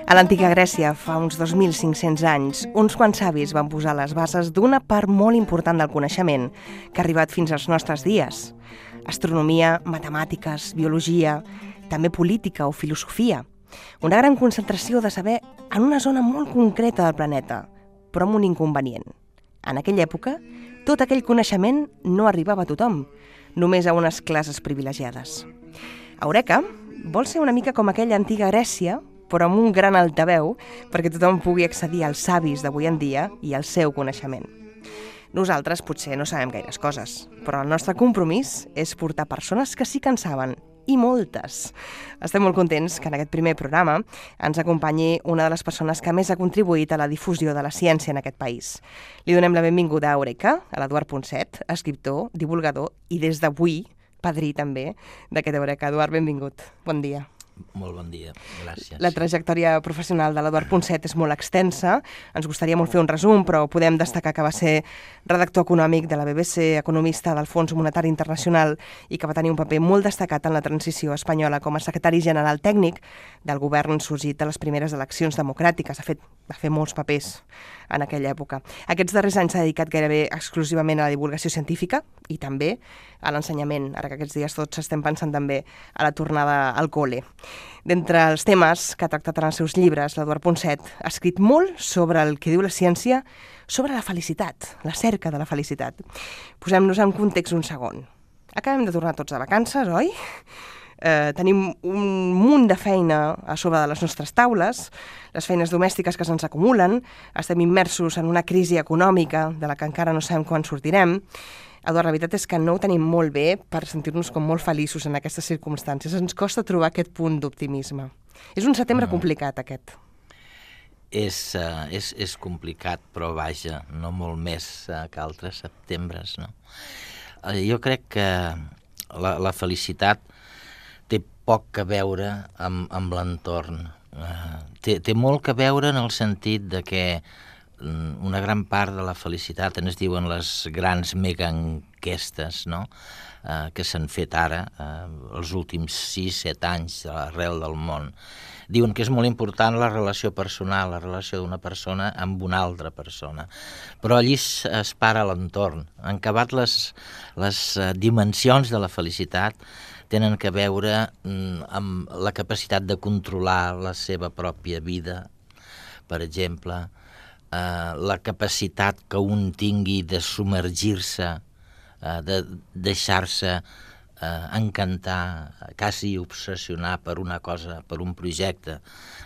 A l'antiga Grècia, fa uns 2.500 anys, uns quants savis van posar les bases d'una part molt important del coneixement que ha arribat fins als nostres dies. Astronomia, matemàtiques, biologia, també política o filosofia. Una gran concentració de saber en una zona molt concreta del planeta, però amb un inconvenient. En aquella època, tot aquell coneixement no arribava a tothom, només a unes classes privilegiades. Eureka vol ser una mica com aquella antiga Grècia, però amb un gran altaveu perquè tothom pugui accedir als savis d'avui en dia i al seu coneixement. Nosaltres potser no sabem gaires coses, però el nostre compromís és portar persones que sí que en saben, i moltes. Estem molt contents que en aquest primer programa ens acompanyi una de les persones que més ha contribuït a la difusió de la ciència en aquest país. Li donem la benvinguda a Eureka, a l'Eduard Ponset, escriptor, divulgador i des d'avui, padrí també, d'aquest Eureka. Eduard, benvingut. Bon dia. Molt bon dia, gràcies. La trajectòria professional de l'Eduard Ponset és molt extensa. Ens gustaria molt fer un resum, però podem destacar que va ser redactor econòmic de la BBC, economista del Fons Monetari Internacional i que va tenir un paper molt destacat en la transició espanyola com a secretari general tècnic del govern sorgit de les primeres eleccions democràtiques. Va fer molts papers en aquella època. Aquests darrers anys s'ha dedicat gairebé exclusivament a la divulgació científica i també a l'ensenyament, ara que aquests dies tots estem pensant també a la tornada al col·le. D'entre els temes que ha tractat en els seus llibres, l'Eduard Ponset ha escrit molt sobre el que diu la ciència sobre la felicitat, la cerca de la felicitat. Posem-nos en context un segon. Acabem de tornar tots de vacances, oi? Tenim un munt de feina a sobre de les nostres taules, les feines domèstiques que se'ns acumulen, estem immersos en una crisi econòmica de la que encara no sabem quan sortirem. Eduard, la veritat és que no ho tenim molt bé per sentir-nos com molt feliços en aquestes circumstàncies. Ens costa trobar aquest punt d'optimisme. És un setembre complicat, aquest. És complicat, però vaja, no molt més que altres setembre, no? Jo crec que la felicitat té poc a veure amb l'entorn. Té molt que veure en el sentit de que una gran part de la felicitat, ens diuen les grans megaenquestes, no? Que s'han fet ara, els últims 6-7 anys arrel del món, diuen que és molt important la relació personal, la relació d'una persona amb una altra persona. Però allí es para l'entorn. En acabat les dimensions de la felicitat tenen que veure amb la capacitat de controlar la seva pròpia vida, per exemple, la capacitat que un tingui de submergir-se, de deixar-se encantar, quasi obsessionar per una cosa, per un projecte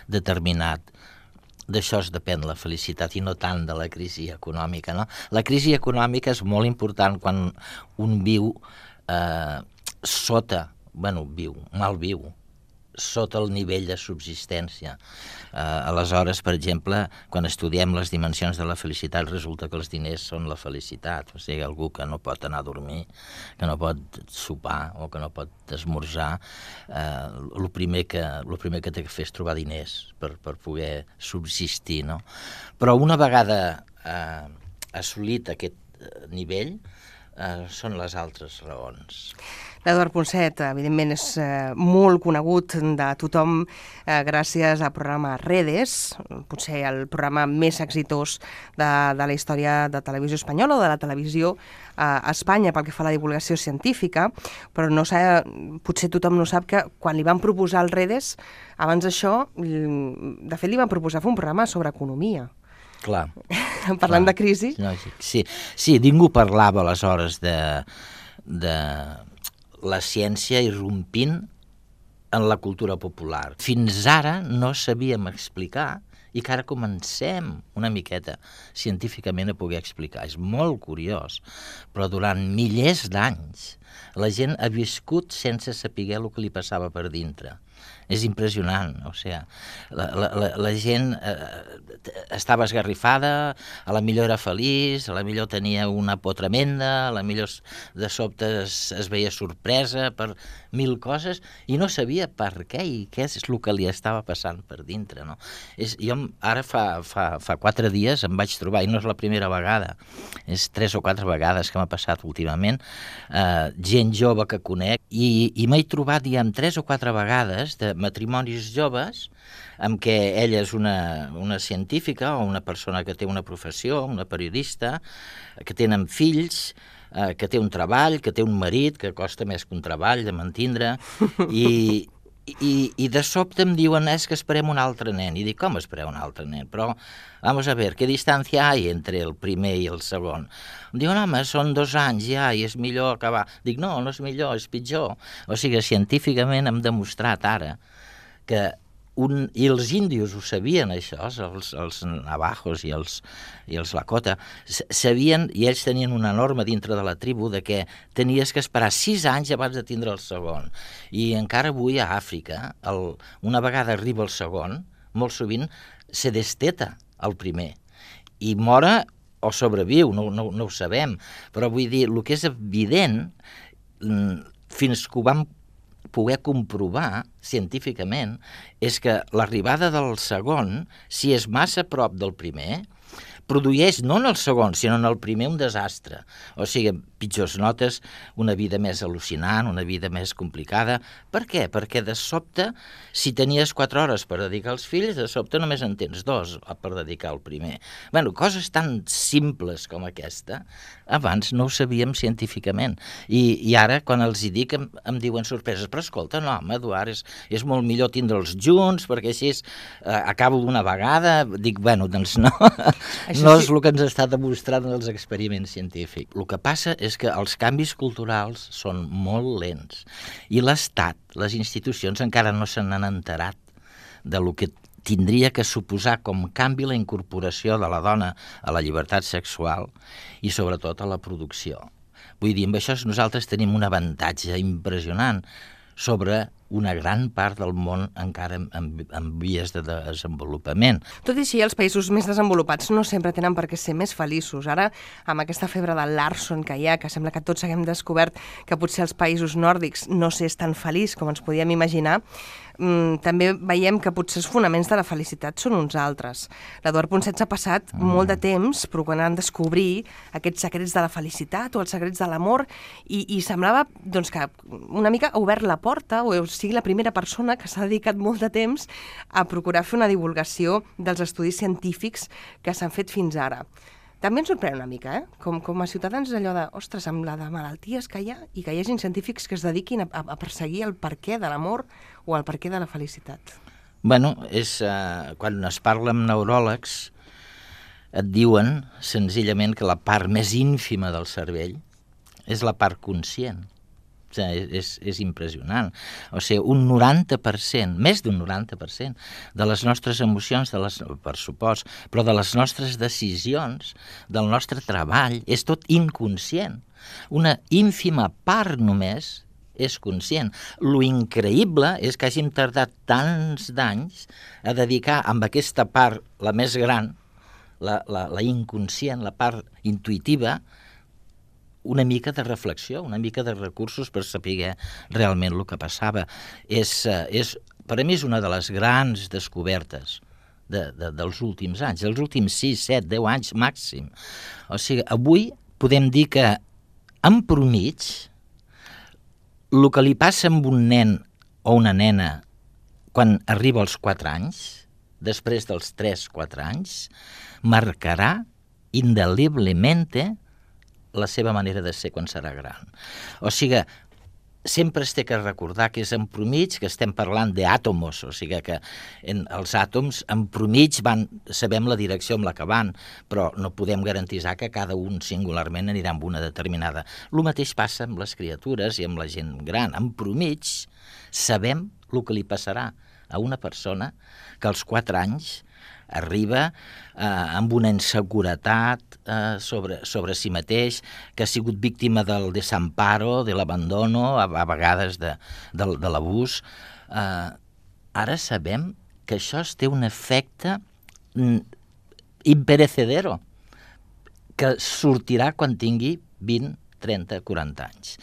determinat. D'això es depèn la felicitat i no tant de la crisi econòmica, no? La crisi econòmica és molt important quan un viu mal viu, sota el nivell de subsistència. Aleshores, per exemple, quan estudiem les dimensions de la felicitat, resulta que els diners són la felicitat. O sigui, algú que no pot anar a dormir, que no pot sopar o que no pot esmorzar, el primer que té que fer és trobar diners per poder subsistir, no? Però una vegada assolit aquest nivell, són les altres raons. L'Eduard Ponset, evidentment, és molt conegut de tothom gràcies al programa Redes, potser el programa més exitós de la història de televisió espanyola o de la televisió a Espanya pel que fa a la divulgació científica, però potser tothom no sap que quan li van proposar el Redes, abans d'això, de fet li van proposar fer un programa sobre economia. Clar. Parlant de crisi. Sí, ningú parlava aleshores de la ciència irrompint en la cultura popular. Fins ara no sabíem explicar i que ara comencem una miqueta científicament a poder explicar. És molt curiós, però durant milers d'anys la gent ha viscut sense saber el que li passava per dintre. És impressionant, o sigui, la gent estava esgarrifada, a la millor era feliç, a la millor tenia una por tremenda, a la millor de sobte es veia sorpresa per mil coses i no sabia per què i què és el que li estava passant per dintre, no? Jo ara fa 4 dies em vaig trobar, i no és la primera vegada, és 3 o 4 vegades que m'ha passat últimament, gent jove que conec, i m'he trobat ja 3 o 4 vegades històries de matrimonis joves en què ella és una científica o una persona que té una professió, una periodista, que tenen fills, que té un treball, que té un marit, que costa més que un treball de mantindre, i de sobte em diuen és que esperem un altre nen. I dic, com espereu un altre nen? Però, vamos a ver, ¿qué distancia hay entre el primer i el segon? Em diuen, home, són 2 anys ja i és millor acabar. Dic, no és millor, és pitjor. O sigui, científicament hem demostrat ara que i els índios ho sabien, això, els navajos i els Lakota, sabien, i ells tenien una norma dintre de la tribu de que tenies que esperar 6 anys abans de tindre el segon. I encara avui a Àfrica, una vegada arriba el segon, molt sovint se desteta el primer i mora o sobreviu, no ho sabem, però vull dir, el que és evident, fins que ho vam poder comprovar científicament, és que l'arribada del segon, si és massa a prop del primer, produeix no en el segon, sinó en el primer un desastre. O sigui, pitjors notes, una vida més al·lucinant, una vida més complicada. Per què? Perquè de sobte, si tenies 4 hores per dedicar als fills, de sobte només en tens 2 per dedicar al primer. Bé, coses tan simples com aquesta, abans no ho sabíem científicament. I ara, quan els hi dic, em diuen sorpreses. Però escolta, no, home, Eduard, és molt millor tindre'ls junts, perquè així acabo d'una vegada. Dic, bueno, doncs no. No és el que ens està demostrant en els experiments científics. El que passa és que els canvis culturals són molt lents i l'Estat, les institucions, encara no se n'han enterat de lo que tindria que suposar com canvi la incorporació de la dona a la llibertat sexual i sobretot a la producció. Vull dir, amb això nosaltres tenim un avantatge impressionant sobre una gran part del món encara en vies de desenvolupament. Tot i així, els països més desenvolupats no sempre tenen per què ser més feliços. Ara, amb aquesta febre de Larson que hi ha, que sembla que tots haguem descobert que potser els països nòrdics no s'és tan feliç com ens podíem imaginar, també veiem que potser els fonaments de la felicitat són uns altres. L'Eduard Ponsets ha passat molt de temps procurant descobrir aquests secrets de la felicitat o els secrets de l'amor i semblava doncs, que una mica ha obert la porta, o sigui la primera persona que s'ha dedicat molt de temps a procurar fer una divulgació dels estudis científics que s'han fet fins ara. També ens sorprèn una mica, com a ciutadans, allò de, ostres, amb la de malalties que hi ha i que hi hagin científics que es dediquin a perseguir el perquè de l'amor o el perquè de la felicitat. Bueno, quan es parla amb neuròlegs, et diuen senzillament que la part més ínfima del cervell és la part conscient. O sigui, és impressionant. O sigui, un 90%, més d'un 90% de les nostres emocions, per supost, però de les nostres decisions, del nostre treball, és tot inconscient. Una ínfima part només és conscient. Lo increïble és que hàgim tardat tants d'anys a dedicar amb aquesta part, la més gran, la inconscient, la part intuïtiva, una mica de reflexió, una mica de recursos per saber realment el que passava. Per a mi és una de les grans descobertes dels últims anys, dels últims 6, 7, 10 anys màxim. O sigui, avui podem dir que, en promig, el que li passa amb un nen o una nena quan arriba als 4 anys, després dels 3-4 anys, marcarà indeliblemente la seva manera de ser quan serà gran. O sigui, sempre es té que recordar que és en promig, que estem parlant d'àtomos, o sigui que els àtoms en promig sabem la direcció amb la que van, però no podem garantitzar que cada un singularment anirà amb una determinada. El mateix passa amb les criatures i amb la gent gran. En promig sabem el que li passarà a una persona que als 4 anys arriba amb una inseguretat sobre si mateix, que ha sigut víctima del desamparo, de l'abandono, a vegades de l'abús. Ara sabem que això té un efecte imperecedero, que sortirà quan tingui 20, 30, 40 anys.